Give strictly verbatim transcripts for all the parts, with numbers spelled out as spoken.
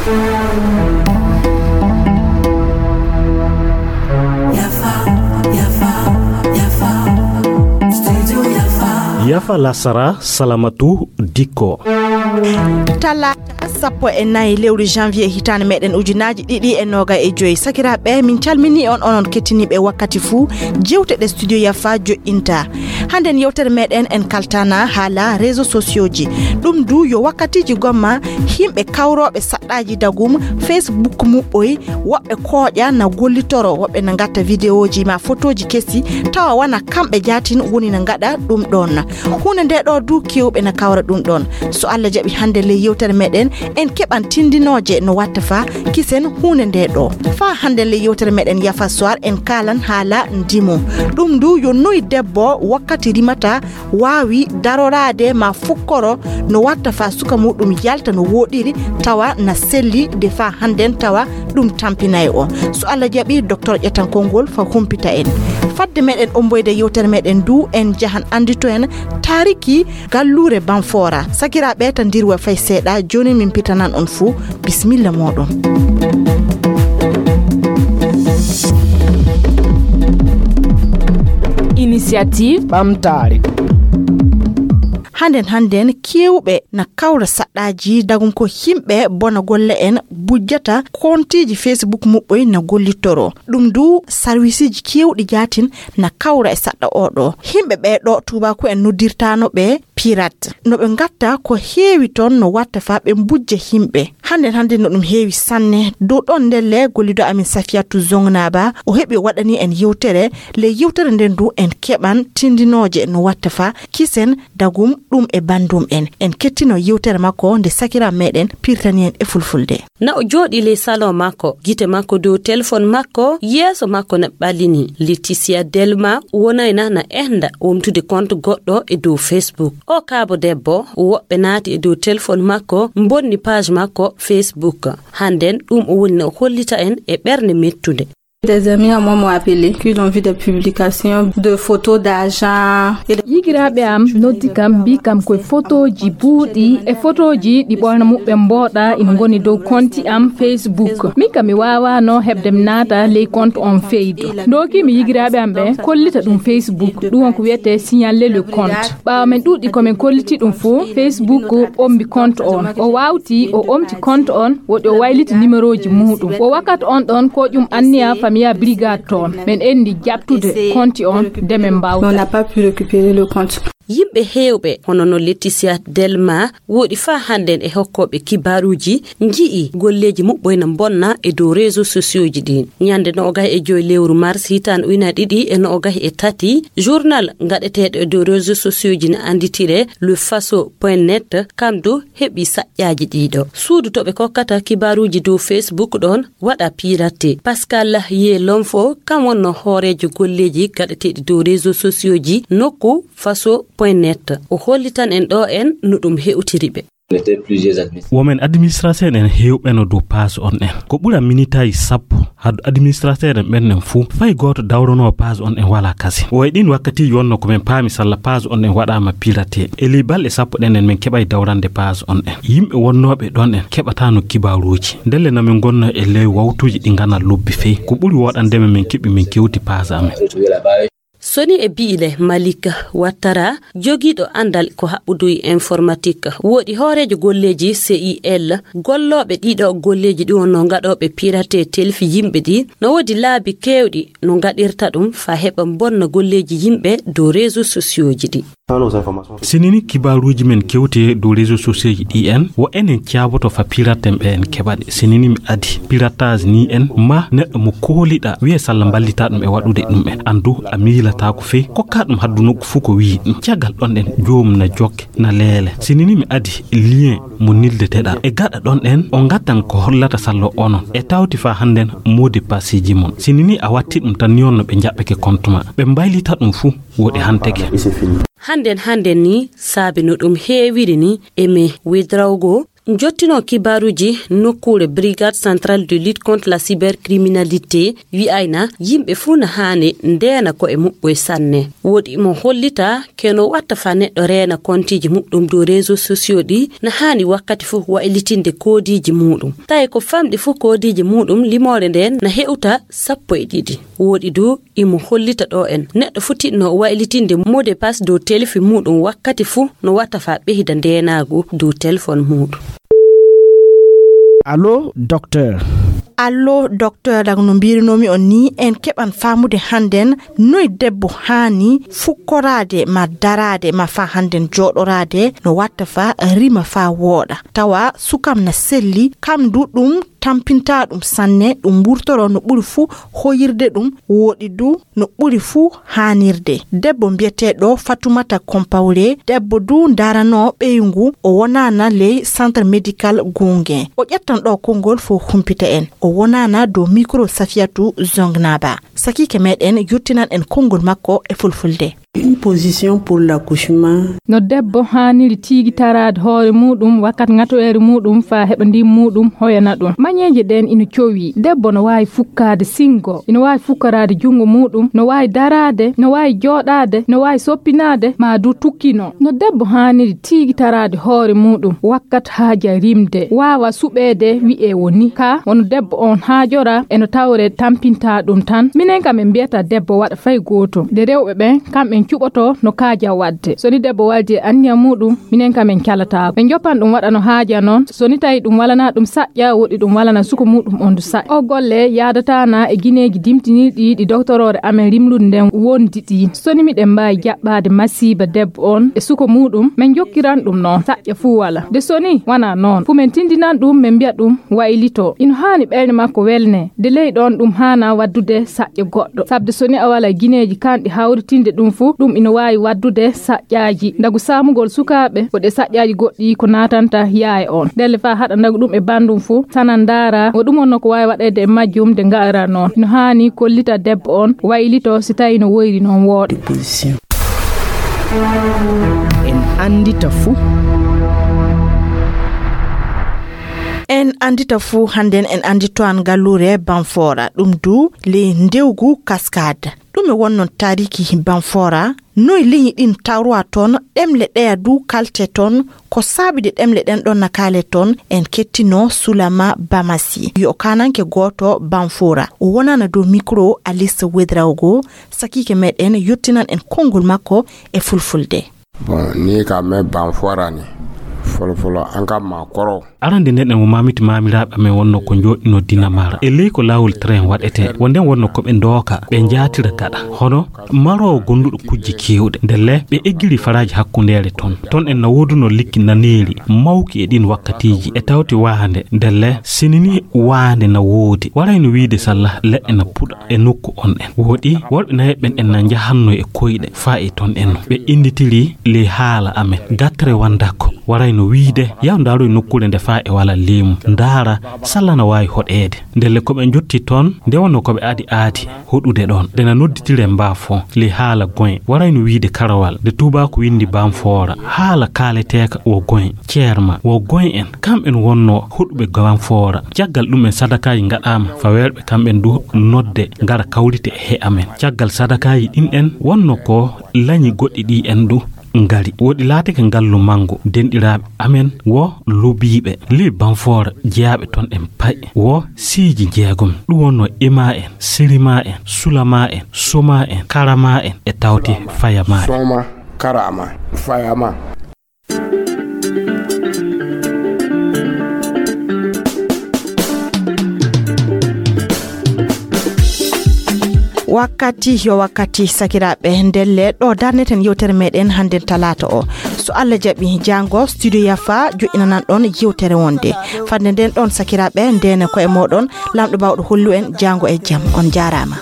Yafa lasara, Salamatu Dikko. Talaata sappo e nayi lewru janvier hitaande meɗen ujunaaji ɗiɗi e noga e joyi. Sakiraaɓe, min calminii on, onon kettiniiɓe wakkati fuu. Jewte ɗe Studio Yafa joƴƴinta. Hannden yewtere meɗen en kaltana haala réseaux sociaux ji. Ɗum du yo wakkatiiji gomma, yimɓe kawrooɓe saɗɗaaji dagum Facebook muɓɓoy, woɓɓe kooƴa na gollitoro, woɓɓe na ngatta vidéoji ma photoji kesi, tawa wana kamɓe jaatin woni na ngaɗa ɗum ɗon. Huunde nde ɗo du kewɓe na kawra ɗum ɗon. So Allah jaɓi, hannde ley yewtere meɗen, en keɓan tindinooje no watta fa kisen huunde nde ɗo. Fa hannde ley yewtere meɗen Yafa Soir, en kaalan haala ndimo. Ɗum du yo noy debbo wakkati rimata waawi daroraade ma fukkoro no watta fa suka muɗum yalta no woɗiri, tawa na selli de fa hannden tawa ɗum tampinay o. So Allah jaɓi, Docteur ƴettan konngol fa humpita en. Fadde meɗen omboyde yewtere meɗen du, en jahan anndito en taariki galluure Banfora. Sakiraaɓe, ta ndirwa fay seeɗa, jooni min pitanan on fuu. Bismilla mooɗon. Initiative ɓamtaare. Hannden, hannden, kewɓe na kawra saɗɗaaji dagum ko yimɓe bona golle en bujjata kontiiji Facebook muɓɓoy na gollitoro. Ɗum du sarwisiiji kewɗi jaatin na kawra e saɗɗa oɗo. Yimɓe ɓe ɗo tuubaaku en noddirtaano ɓe pirate. No ɓe ngatta ko heewi toon no watta fa ɓe mbujja yimɓe. Hannden, hannden no ɗum heewi sanne. Dow ɗon ndelle gollido amin Safiyatu Zongnaba, o heɓi o waɗani en yewtere. Ley yewtere nden du en keɓan tindinooje no watta fa kisen dagum ɗum e bandum en. En kettino yewtere makko nde sakiraaɓe meɗen pirtani en e fulfulde. Na o jooɗi ley salon makko, gite makko dow telefon makko, yeeso makko na ɓalini. Leticia Delma wonayna na ehda womtude compte goɗɗo e dow Facebook. O kaabo debbo, woɓɓe naati e dow telefon makko, mbonni page makko Facebook. Hannden ɗum o woni na o hollita en e ɓernde mettunde. Des amis à moi m'ont appelé, qu'ils ont vu des publications de photos d'argent et de... Yigiraaɓe am noddi kam, mbi kam koye fotooji buuɗi e fotooji ɗi ɓoyna muɓɓen mbooɗa ina ngoni dow konti am Facebook. Min kam mi waawaano heɓde mi naata ley compte on feydo. Ndooki mi yigiraaɓe am ɓe kollita ɗum Facebook. Ɗum on ko wiyetee signaler le compte. Ɓaawo men ɗuuɗi ko men kolliti ɗum fof, Facebook o ombi compte on. O waawti, o omti compte on, woɗi o wayliti numéroji muuɗum. O wakkati on ɗon ko ƴum anniya Famille Brigade toon. Men enndi jaɓtude compte on de men mbaaw. On n'a pas pu récupérer le compte. Yimɓe heewɓe, hono no Laetitia Delma, woɗi faa hannden e hokkooɓe kibaaruuji, nji'i golleeji muɓɓoy na mbonna e dow réseaux sociaux ji ɗin. Ñande noogay e joy lewru mars hitaande ujunaaji ɗiɗi e noogay e tati, journal ngaɗeteeɗo e dow réseaux sociaux ji na annditire Le Faso point net, kam du heɓi saƴƴaaji ɗiɗo. Suudu to ɓe kokkata kibaaruuji dow Facebook ɗon waɗa pirate. Pascal Ye Lonfo, kam wonno hooreejo golleeji gaɗeteeɗi dow réseaux sociaux ji nokku Faso point net. O hollitan en ɗo en no ɗum hewtiri ɓe. Women administrateur en hewɓeno dow page on en. Ko ɓura minitaaji sappo hado administrateur en ɓen en fuu. Fay gooto dawrono page on en wala kasi. O e ɗin wakkatiiji wonno ko men paami salla page on en waɗaama pirate. E ley balɗe sappo ɗen en men keɓay dawrande page on en. Yimɓe wonnooɓe ɗon en keɓataano kibaaruuji. Ndelle na men gonno e ley wawtuuji ɗi ngana lobbi fey. Ko ɓuri woɗande men men keɓi men kewti page amen. Soni e bi'ile Malik Wattara, jogiiɗo anndal ko haɓɓudu e informatique, woɗi hooreejo golleeji C I L, gollooɓe ɗiɗo golleeji ɗi wonno ngaɗooɓe pirate telfi yimɓe ɗi, no woodi laabi keewɗi no ngaɗirta ɗum faa heɓa mbonna golleeji yimɓe dow réseaux sociaux ji ɗi. Sinini kibaaruuji men kewte dow réseaux sociaux ji ɗi en, wo enen caaboto fa pirate en ɓe en keɓa ɗe. Sinini mi adi piratage ni en, ma neɗɗo mo kooliɗa wi'e salla mballita ɗum e waɗude ɗum en. Andu a miilataako fey, kokka ɗum haddu nokku fuu ko wi'i ɗum. Caggal ɗon ɗen, joomum na jokke, na leele. Sinini mi adi lien mo nildeteɗa. E gaɗa ɗon ɗen, o ngatan ko hollata sallo onon. E tawti faa hannden mot de passe ji mon. Sinini a watti ɗum tan ni on no ɓe njaɓɓeke compte ma. Ɓe mbaylita ɗum fuu, woɗi hanteke. Hannden, hannden ni saabe no ɗum heewiri ni e me wedrawgo Jottino kibaaruuji nokkuure Brigade Centrale de Lutte contre la Cybercriminalité wi'ayna yimɓe fuu na haani ndeena ko'e muɓɓoy sanne. Woodi mo hollita ke no watta fa neɗɗo reena kontiiji muɗɗum dow réseaux sociaux ɗi na haani wakkati fuu waylitinde koodiiji muuɗum. Tawi ko famɗi fuu koodiiji muuɗum limoore nden na he'uta sappo e ɗiɗi. Woodi du imo hollita ɗo en neɗɗo foti no waylitinde mot de passe dow telefi muuɗum wakkati fuu no watta fa ɓeyda ndeenaagu dow telefon muuɗum. Allo, docteur. Allo, docteur, daga no mbiirunoomi on ni, en keɓan faamude hannden noy debbo haani fukkoraade ma daraade ma fa hannden jooɗoraade no watta fa rima fa wooɗa. Tawa sukam na selli, kam du ɗum tampinta ɗum sanne, ɗum wurtoro no ɓuri fuu hoyirde ɗum, woɗi du no ɓuri fuu haanirde. Debbo mbiyeteeɗo Fatumata Kompawre, debbo du ndaranoo ɓeyngu, o wonaana ley centre médical Gunge. O ƴettan ɗo konngol fo humpita en. O wonaana dow micro Safiyatu Zongnaba. Sakiike meɗen yottinan en konngol makko e fulfulde. Une position pour l'accouchement. No debbo haaniri tiigitaraade hoore muuɗum wakkati ŋatoyere muuɗum faa heɓa ndin muuɗum hoyana ɗum. Mañeeje ɗen ina cowi. Debbo no waawi fukkaade singo, ina waawi fukkoraade junngo muuɗum, no waawi daraade, no waawi jooɗaade, no waawi soppinaade, maa du tukkino. No debbo haaniri tiigitaraade hoore muuɗum wakkati haaja rimde, waawa suɓeede wi'ee woni ka, wano debbo on haajora, e no tawre tampinta ɗum tan. Minen kam en mbiyata debbo waɗa fay gooto. Nde rewɓe ɓen, kamɓen cuɓoto no kaaja waɗde. So ni debbo waldi e anniya muuɗum, minen kam en calataako. Ɓe njoppan ɗum waɗa no haaja non. So ni tawi ɗum walana ɗum saƴƴa, woɗi ɗum walana suko muuɗum on du saƴƴa. O golle yaadataana e gineeji dimtinirɗi ɗi doktoroore amen rimlude nden wondi ɗi. So ni miɗen mbaawi jaɓɓaade masiiba debbo on e suko muuɗum, men jokkiran ɗum non saƴƴa fuu wala. De so ni wana non, fu men tindinan ɗum, men mbiya ɗum waylito. Ino haani ɓernde makko welne. De ley ɗon ɗum haana waddude saƴƴa goɗɗo. Sabde so ni a wala gineeji kanɗi hawritinde ɗum fu, ɗum ino waawi waddude saƴƴaaji. Ndagu saamugol sukaaɓe, ko ɗe saƴƴaaji goɗɗi ko naatanta yaaye on. Ndelle faa haɗa ndagu ɗum e banndum fu, sanan ndaara, wo ɗum on no ko waawi waɗeede e majjum de ngaara non. Ino haani kollita debbo on, waylito si tawi no woyri non wooɗa. En anndita fuu. En anndita fuu, hannden en anndito an galluure Banfora, ɗum du ley ndewgu Cascade. Ɗume wonnon taariki Banfora? Noy liñi ɗin tawrowa toon? Ɗemle ɗeya du kalte toon? Ko saabi de ɗemle ɗen ɗon na kaale toon? En kettino Sulama Bamasi, yo kaananke gooto Banfora. O wonana dow mikro Alice Wedraogo, sakiike meɗen yottinan en konngol makko e fulfulde. Bon, ni ka me Banfora ni. Folo folo, an ka ma koro. Arande nden en mo mamiti mamiraaɓe amen wonno ko jooɗino dina mara. E ley ko laawol train waɗetee. Wonden wonno ko ɓe ndooka, ɓe njaatira gaɗa. Hono maroowo gonduɗo kujje keewɗe. Ndelle ɓe eggiri faraaji hakkundeere ton. Ton en na wooduno likki naneeri mawki e ɗin wakkatiiji. E tawti waande, ndelle sinini waande na woodi. Warayno wiide salla leɗɗe na puɗa e nokku on en. Woodi worɓe nayeɓɓen en na njahanno e koyɗe faa e ton en. Ɓe innditiri ley haala amen. Gattere wandako. Warayno wiide, yaw ndaaroy nokkuure nde faa e wala leemu. Ndaara, salla na waawi hoɗeede. Ndelle ko ɓe njotti toon, nde wonno ko ɓe aadi aadi hoɗude ɗoon. Nde na nodditire mbaa fo, ley haala goy. Warayno wiide karawal, nde tuubaako winndi Banfoora. Haala kaaleteeka wo goy. Ceerma, wo goy en, kamɓen wonno hoɗuɓe Banfoora. Caggal ɗum en sadakaaji ngaɗaama, fa weerɓe kamɓen du nodde, ngara kawrite e he amen. Caggal sadakaaji ɗin en wonno ko lañi goɗɗi ɗi en du ngari. Woɗi laatike ngallu manngu, denɗiraaɓe amen wo lubiiɓe. Ley Banfoora jeyaaɓe ton en pay wo siiji jeegom. Ɗum wonno Ima en, Sirima en, Sulama en, Soma en, Karama en e tawti Fayama en. Soma, Karama, Fayama. Wakkati yo wakkati, sakiraaɓe, ndelle ɗo darneten yewtere meɗen hannden talaata o. So Allah jaɓi, jaango studio Yafa joƴƴinanan ɗon yewtere wonde. Fadde nden ɗon, sakiraaɓe, ndene koye moɗon, Lamɗo Bawɗo hollu en jaango e jam. On jaaraama.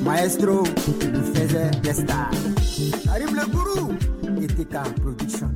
Maestro. nous faisait des stars. Arrive le gourou et T K Production.